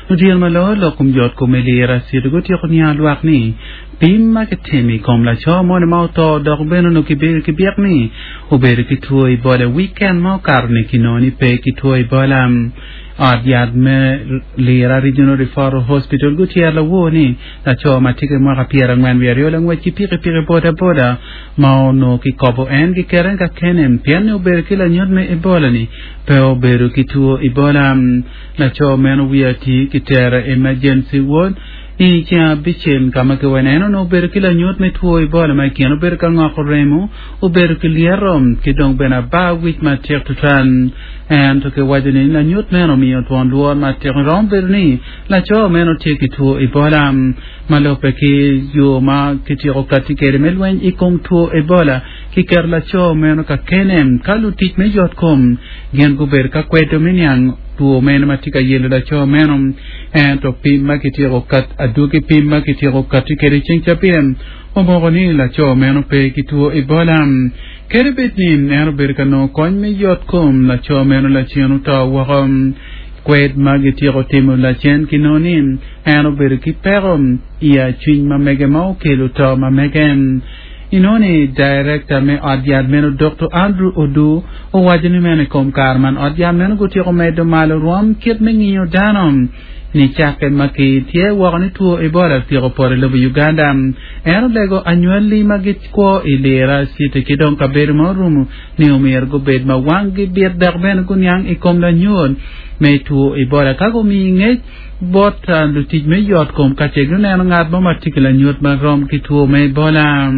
Odyeno ma loyo lok kom yot kom i Lira City gutyeko niango lwak ni pim ma kitimo i kom laco moni ma oto dok bene onongo kibedo ki byek ni obedo ki two Ebola i wiken ma okato-ni kinongo ni pe ki two Ebola. Ot yat me Lira Regional Referral Hospital gutyero lawor ni laco ma tye ki mwaka 42 langwec ki pikipiki boda boda ma onongo kikobo en giketo en kakene pien ni obedo ki lanyut me Ebola ni pe obedo ki two Ebola. Laco meno wiye ati kitero i emergency ward i ceng abicel ka ma kiwene en onongo obedo ki lanyut me two Ebola ma i kine obedo ka ngoko remo, obedo ki lyeto ki dong bene abar wic matek tutwal. Ento kiwaco ni lanyut meno omiyo twon lworo matek romo bedo ni laco meno tye ki two Ebola. Ma lubbe ki yo ma kityeko katti kwede me lweny i kom two Ebola, kiketo laco meno ka kene ka lutic me yotkom gin gubedo ka kwedo me niang two meno ma tye ka yelo laco meno. Ento pim ma kityeko kat adwogi pim ma kityeko katti kwede i ceng cabit omoko ni laco meno pe ki two Ebola. Kadi bed ni en obedo ka nongo kony me yotkom, laco meno lacen oto woko. Kwed ma gityeko timo lacen kinongo ni en obedo ki peko i acwiny ma mege ma okelo to ma mege. Inongo ni Daerekta me ot yat meno Dokto Andrew Odur owaco ni meno i kom kare man ot yat meno gutyeko medo malo rwom kit me ngiyo dano nicakke ma ki tye woko ni two Ebola otyeko poto i lobo Uganda. En olego anywali ma gikwo i Lira City ki dong kabedo ma orumo ni omyero gubed ma wanggi bit dok bene guniang i kom lanyut me two Ebola ka gumiyi ngec bot lutic me yot kom ka ce guneno ngat mo ma tye ki lanyut ma rom ki two me Ebola.